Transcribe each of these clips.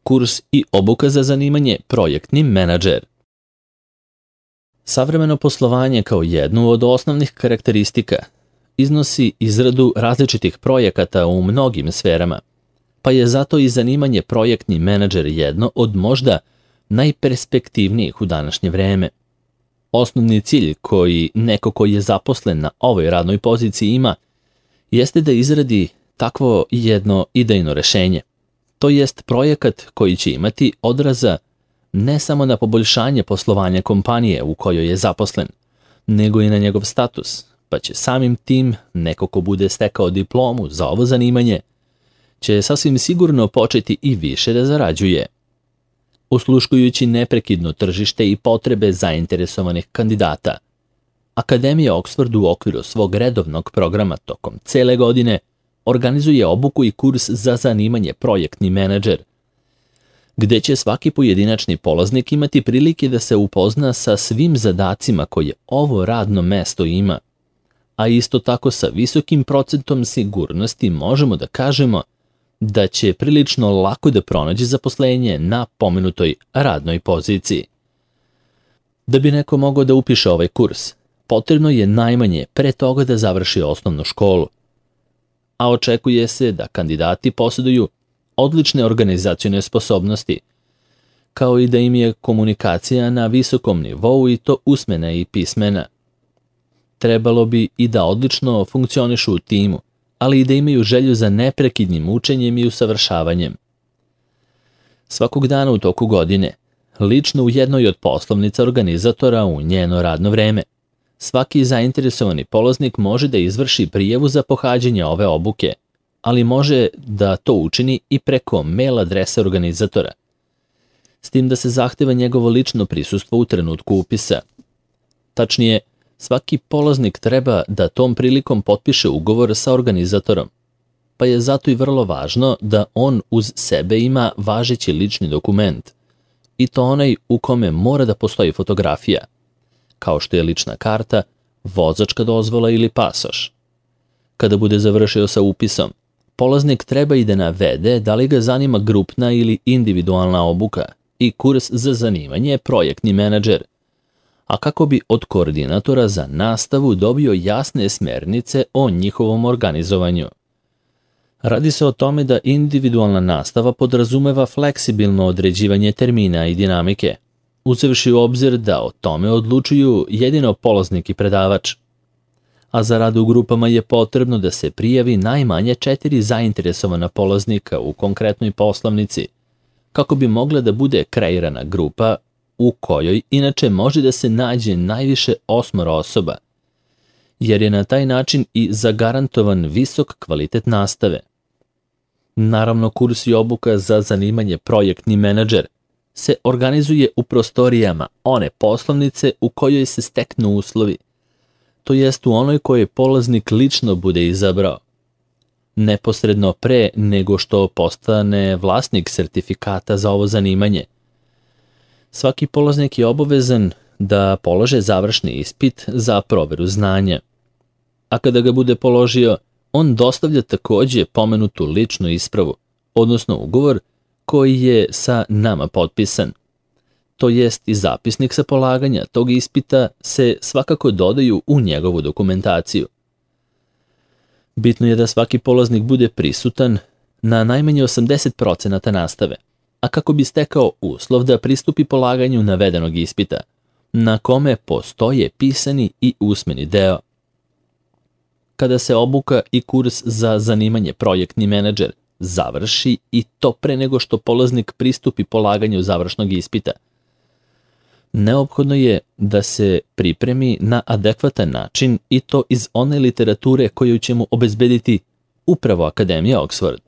kurs i obuka za zanimanje projektni menadžer. Savremeno poslovanje kao jednu od osnovnih karakteristika iznosi izradu različitih projekata u mnogim sferama, pa je zato i zanimanje projektni menadžer jedno od možda najperspektivnijih u današnje vreme. Osnovni cilj koji neko ko je zaposlen na ovoj radnoj poziciji ima jeste da izradi takvo jedno idejno rešenje. To jest projekat koji će imati odraza ne samo na poboljšanje poslovanja kompanije u kojoj je zaposlen, nego i na njegov status, pa će samim tim neko ko bude stekao diplomu za ovo zanimanje će sasvim sigurno početi i više da zarađuje. Usluškujući neprekidno tržište i potrebe zainteresovanih kandidata, Akademija Oxford u okviru svog redovnog programa tokom cele godine organizuje obuku i kurs za zanimanje projektni menadžer, gde će svaki pojedinačni polaznik imati prilike da se upozna sa svim zadacima koje ovo radno mesto ima, a isto tako sa visokim procentom sigurnosti možemo da kažemo da će prilično lako da pronađe zaposlenje na pomenutoj radnoj poziciji. Da bi neko mogao da upiše ovaj kurs, potrebno je najmanje pre toga da završi osnovnu školu, a očekuje se da kandidati posjeduju odlične organizacione sposobnosti, kao i da im je komunikacija na visokom nivou i to usmena i pismena. Trebalo bi i da odlično funkcionišu u timu, ali i da imaju želju za neprekidnim učenjem i usavršavanjem. Svakog dana u toku godine, lično u jednoj od poslovnica organizatora u njeno radno vreme, svaki zainteresovani polaznik može da izvrši prijavu za pohađanje ove obuke, ali može da to učini i preko mail adrese organizatora, s tim da se zahteva njegovo lično prisustvo u trenutku upisa. Tačnije, svaki polaznik treba da tom prilikom potpiše ugovor sa organizatorom, pa je zato i vrlo važno da on uz sebe ima važeći lični dokument, i to onaj u kome mora da postoji fotografija, kao što je lična karta, vozačka dozvola ili pasoš. Kada bude završio sa upisom, polaznik treba i da navede da li ga zanima grupna ili individualna obuka i kurs za zanimanje projektni menadžer, a kako bi od koordinatora za nastavu dobio jasne smernice o njihovom organizovanju. Radi se o tome da individualna nastava podrazumeva fleksibilno određivanje termina i dinamike, uzevši u obzir da o tome odlučuju jedino polaznik i predavač. A za rad u grupama je potrebno da se prijavi najmanje 4 zainteresovana polaznika u konkretnoj poslovnici, kako bi mogla da bude kreirana grupa u kojoj inače može da se nađe najviše 8 osoba, jer je na taj način i zagarantovan visok kvalitet nastave. Naravno, kurs i obuka za zanimanje projektni menadžer se organizuje u prostorijama one poslovnice u kojoj se steknu uslovi, to jest u onoj koje polaznik lično bude izabrao, neposredno pre nego što postane vlasnik sertifikata za ovo zanimanje. Svaki polaznik je obavezan da polože završni ispit za proveru znanja, a kada ga bude položio, on dostavlja takođe pomenutu ličnu ispravu, odnosno ugovor koji je sa nama potpisan. To jest i zapisnik sa polaganja tog ispita se svakako dodaju u njegovu dokumentaciju. Bitno je da svaki polaznik bude prisutan na najmanje 80% nastave, a kako bi stekao uslov da pristupi polaganju navedenog ispita, na kome postoje pisani i usmeni deo. Kada se obuka i kurs za zanimanje projektni menadžer završi i to pre nego što polaznik pristupi polaganju završnog ispita, neophodno je da se pripremi na adekvatan način i to iz one literature koju će mu obezbediti upravo Akademija Oxford.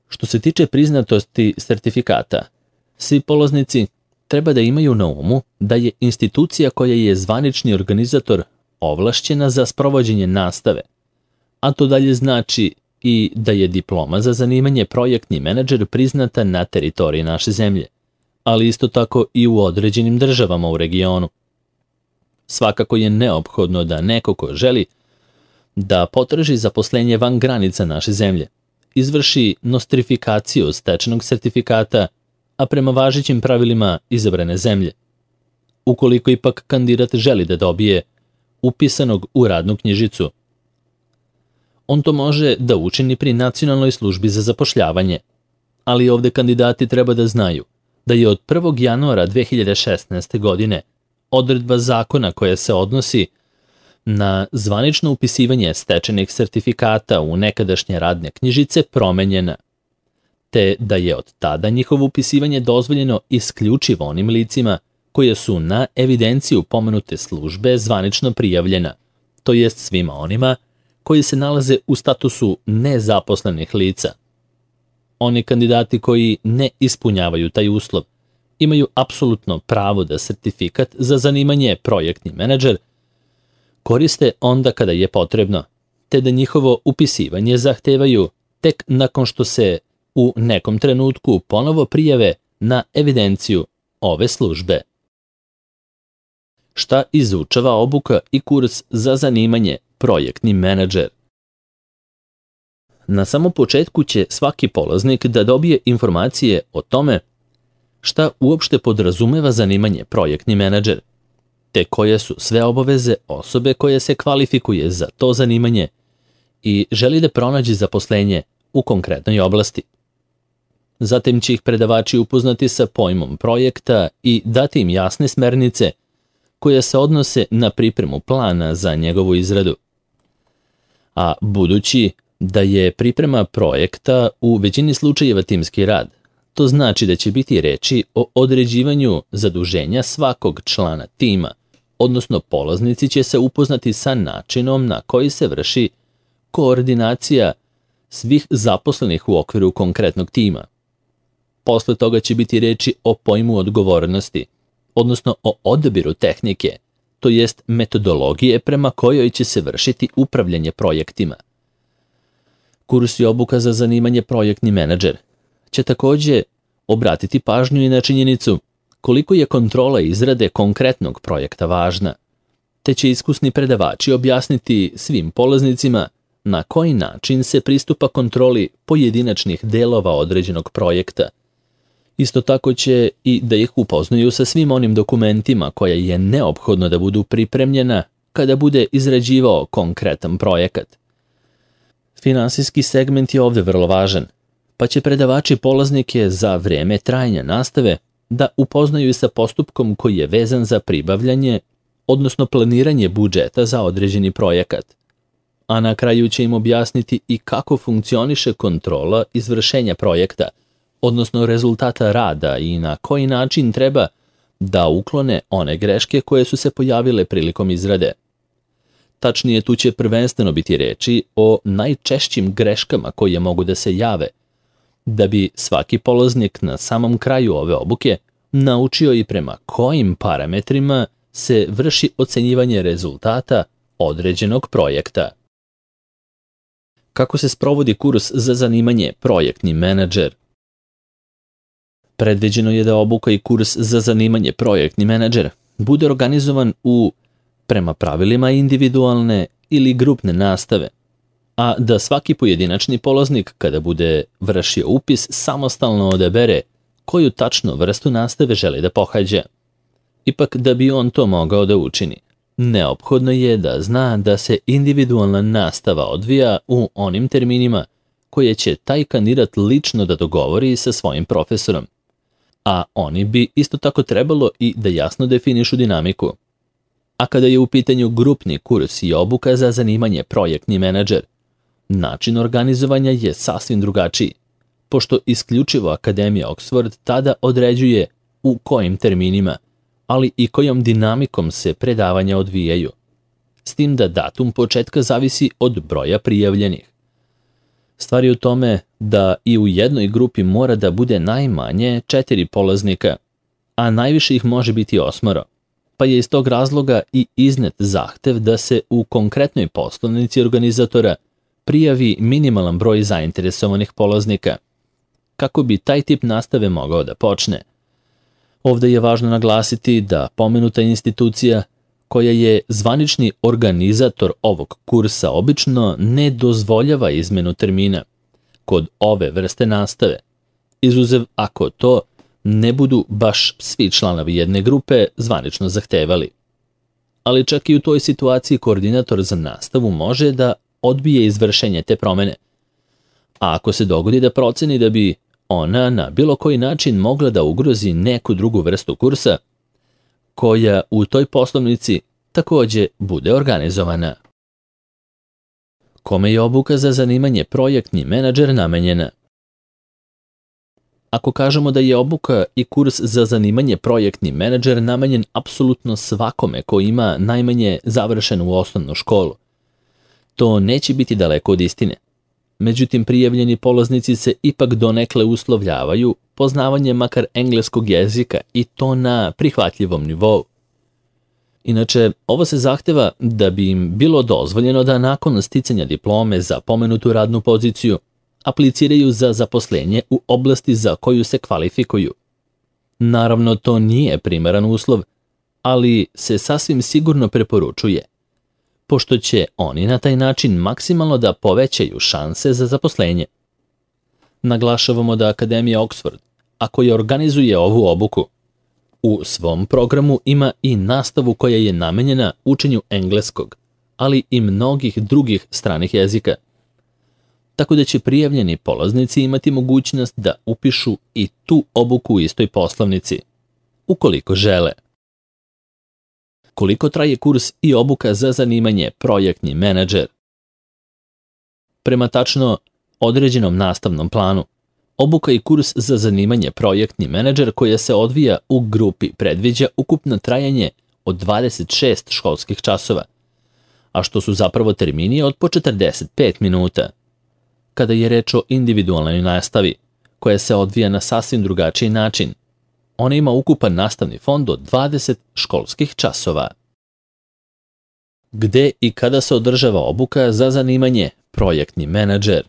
Što se tiče priznatosti sertifikata, svi polaznici treba da imaju na umu da je institucija koja je zvanični organizator ovlašćena za sprovođenje nastave, a to dalje znači i da je diploma za zanimanje projektni menadžer priznata na teritoriji naše zemlje, ali isto tako i u određenim državama u regionu. Svakako je neophodno da neko ko želi da potraži zaposlenje van granica naše zemlje, izvrši nostrifikaciju stečenog sertifikata, a prema važećim pravilima izabrane zemlje. Ukoliko ipak kandidat želi da dobije upisanog u radnu knjižicu, on to može da učini pri Nacionalnoj službi za zapošljavanje, ali ovde kandidati treba da znaju da je od 1. januara 2016. godine odredba zakona koja se odnosi na zvanično upisivanje stečenih sertifikata u nekadašnje radne knjižice promenjena, te da je od tada njihovo upisivanje dozvoljeno isključivo onim licima koje su na evidenciju pomenute službe zvanično prijavljena, to jest svima onima koji se nalaze u statusu nezaposlenih lica. Oni kandidati koji ne ispunjavaju taj uslov imaju apsolutno pravo da sertifikat za zanimanje projektni menadžer koriste onda kada je potrebno, te da njihovo upisivanje zahtevaju tek nakon što se u nekom trenutku ponovo prijave na evidenciju ove službe. Šta izučava obuka i kurs za zanimanje projektni menadžer? Na samom početku će svaki polaznik da dobije informacije o tome šta uopšte podrazumeva zanimanje projektni menadžer, te koje su sve obaveze osobe koja se kvalifikuje za to zanimanje i želi da pronađe zaposlenje u konkretnoj oblasti. Zatim će ih predavači upoznati sa pojmom projekta i dati im jasne smernice koje se odnose na pripremu plana za njegovu izradu. A budući da je priprema projekta u većini slučajeva timski rad, to znači da će biti reči o određivanju zaduženja svakog člana tima, odnosno polaznici će se upoznati sa načinom na koji se vrši koordinacija svih zaposlenih u okviru konkretnog tima. Posle toga će biti reči o pojmu odgovornosti, odnosno o odabiru tehnike, to jest metodologije prema kojoj će se vršiti upravljanje projektima. Kurs i obuka za zanimanje projektni menadžer će takođe obratiti pažnju i na činjenicu koliko je kontrola izrade konkretnog projekta važna, te će iskusni predavači objasniti svim polaznicima na koji način se pristupa kontroli pojedinačnih delova određenog projekta. Isto tako će i da ih upoznaju sa svim onim dokumentima koje je neophodno da budu pripremljena kada bude izrađivao konkretan projekat. Finansijski segment je ovde vrlo važan, pa će predavači polaznike za vreme trajanja nastave da upoznaju i sa postupkom koji je vezan za pribavljanje, odnosno planiranje budžeta za određeni projekat. A na kraju će im objasniti i kako funkcioniše kontrola izvršenja projekta, odnosno rezultata rada i na koji način treba da uklone one greške koje su se pojavile prilikom izrade. Tačnije, tu će prvenstveno biti reči o najčešćim greškama koje mogu da se jave, da bi svaki polaznik na samom kraju ove obuke naučio i prema kojim parametrima se vrši ocenjivanje rezultata određenog projekta. Kako se sprovodi kurs za zanimanje projektni menadžer? Predviđeno je da obuka i kurs za zanimanje projektni menadžer bude organizovan prema pravilima individualne ili grupne nastave, a da svaki pojedinačni polaznik kada bude vršio upis samostalno odabere koju tačno vrstu nastave želi da pohađa. Ipak da bi on to mogao da učini, neophodno je da zna da se individualna nastava odvija u onim terminima koje će taj kandidat lično da dogovori sa svojim profesorom, a oni bi isto tako trebalo i da jasno definišu dinamiku. A kada je u pitanju grupni kurs i obuka za zanimanje projektni menadžer, način organizovanja je sasvim drugačiji, pošto isključivo Akademija Oxford tada određuje u kojim terminima, ali i kojom dinamikom se predavanja odvijaju, s tim da datum početka zavisi od broja prijavljenih. Stvar je u tome da i u jednoj grupi mora da bude najmanje 4 polaznika, a najviše ih može biti 8, pa je iz tog razloga i iznet zahtev da se u konkretnoj poslovnici organizatora prijavi minimalan broj zainteresovanih polaznika, kako bi taj tip nastave mogao da počne. Ovde je važno naglasiti da pomenuta institucija, koja je zvanični organizator ovog kursa, obično ne dozvoljava izmenu termina, kod ove vrste nastave, izuzev ako to ne budu baš svi članovi jedne grupe zvanično zahtevali. Ali čak i u toj situaciji koordinator za nastavu može da odbije izvršenje te promene. A ako se dogodi da proceni da bi ona na bilo koji način mogla da ugrozi neku drugu vrstu kursa, koja u toj poslovnici takođe bude organizovana. Kome je obuka za zanimanje projektni menadžer namenjena? Ako kažemo da je obuka i kurs za zanimanje projektni menadžer namenjen apsolutno svakome ko ima najmanje završenu osnovnu školu, to neće biti daleko od istine. Međutim, prijavljeni polaznici se ipak donekle uslovljavaju poznavanjem makar engleskog jezika i to na prihvatljivom nivou. Inače, ovo se zahteva da bi im bilo dozvoljeno da nakon sticanja diplome za pomenutu radnu poziciju apliciraju za zaposlenje u oblasti za koju se kvalifikuju. Naravno, to nije primaran uslov, ali se sasvim sigurno preporučuje, pošto će oni na taj način maksimalno da povećaju šanse za zaposlenje. Naglašavamo da Akademija Oxford, ako je organizuje ovu obuku, u svom programu ima i nastavu koja je namenjena učenju engleskog, ali i mnogih drugih stranih jezika. Tako da će prijavljeni polaznici imati mogućnost da upišu i tu obuku u istoj poslovnici, ukoliko žele. Koliko traje kurs i obuka za zanimanje projektni menadžer? Prema tačno određenom nastavnom planu, obuka i kurs za zanimanje projektni menadžer koja se odvija u grupi predviđa ukupno trajanje od 26 školskih časova, a što su zapravo termini od po 45 minuta. Kada je reč o individualnoj nastavi, koja se odvija na sasvim drugačiji način, ona ima ukupan nastavni fond od 20 školskih časova. Gde i kada se održava obuka za zanimanje projektni menadžer?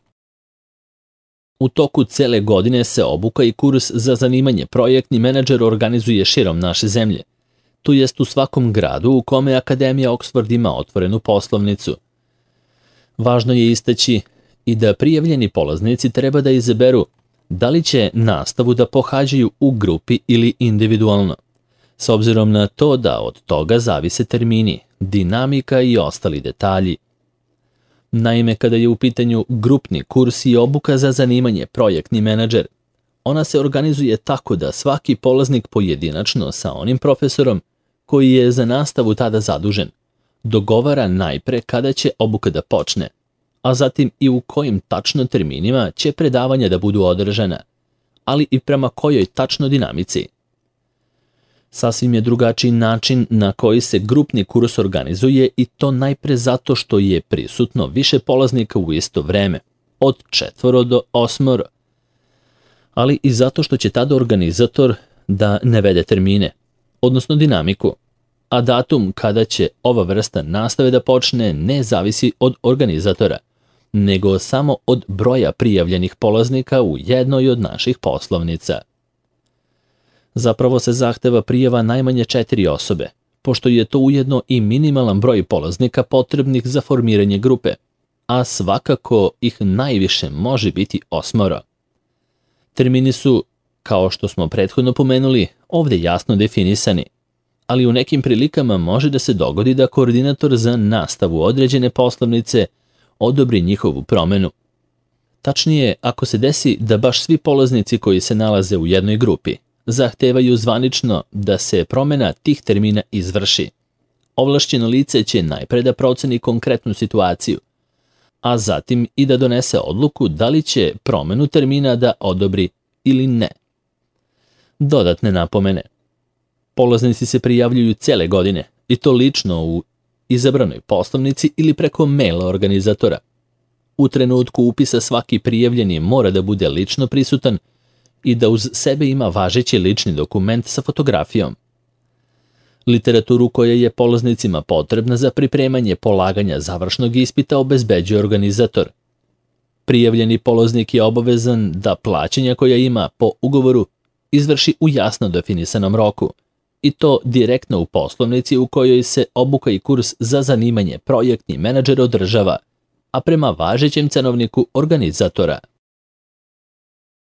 U toku cele godine se obuka i kurs za zanimanje projektni menadžer organizuje širom naše zemlje, to jest u svakom gradu u kome Akademija Oxford ima otvorenu poslovnicu. Važno je istaći i da prijavljeni polaznici treba da izaberu da li će nastavu da pohađaju u grupi ili individualno, s obzirom na to da od toga zavise termini, dinamika i ostali detalji. Naime, kada je u pitanju grupni kurs i obuka za zanimanje projektni menadžer, ona se organizuje tako da svaki polaznik pojedinačno sa onim profesorom koji je za nastavu tada zadužen, dogovara najpre kada će obuka da počne, a zatim i u kojim tačno terminima će predavanja da budu održana, ali i prema kojoj tačno dinamici. Sasvim je drugačiji način na koji se grupni kurs organizuje i to najpre zato što je prisutno više polaznika u isto vreme, od 4 do 8, ali i zato što će tada organizator da navede termine, odnosno dinamiku, a datum kada će ova vrsta nastave da počne ne zavisi od organizatora, nego samo od broja prijavljenih polaznika u jednoj od naših poslovnica. Zapravo se zahteva prijava najmanje 4 osobe, pošto je to ujedno i minimalan broj polaznika potrebnih za formiranje grupe, a svakako ih najviše može biti 8. Termini su, kao što smo prethodno pomenuli, ovde jasno definisani, ali u nekim prilikama može da se dogodi da koordinator za nastavu određene poslovnice odobri njihovu promenu. Tačnije, ako se desi da baš svi polaznici koji se nalaze u jednoj grupi zahtevaju zvanično da se promena tih termina izvrši, ovlašćeno lice će najpre da proceni konkretnu situaciju, a zatim i da donese odluku da li će promenu termina da odobri ili ne. Dodatne napomene. Polaznici se prijavljuju cele godine, i to lično u izabranoj poslovnici ili preko maila organizatora. U trenutku upisa svaki prijavljeni mora da bude lično prisutan i da uz sebe ima važeći lični dokument sa fotografijom. Literaturu koja je polaznicima potrebna za pripremanje polaganja završnog ispita obezbeđuje organizator. Prijavljeni polaznik je obavezan da plaćanja koja ima po ugovoru izvrši u jasno definisanom roku, i to direktno u poslovnici u kojoj se obuka i kurs za zanimanje projektni menadžer održava, a prema važećem cenovniku organizatora.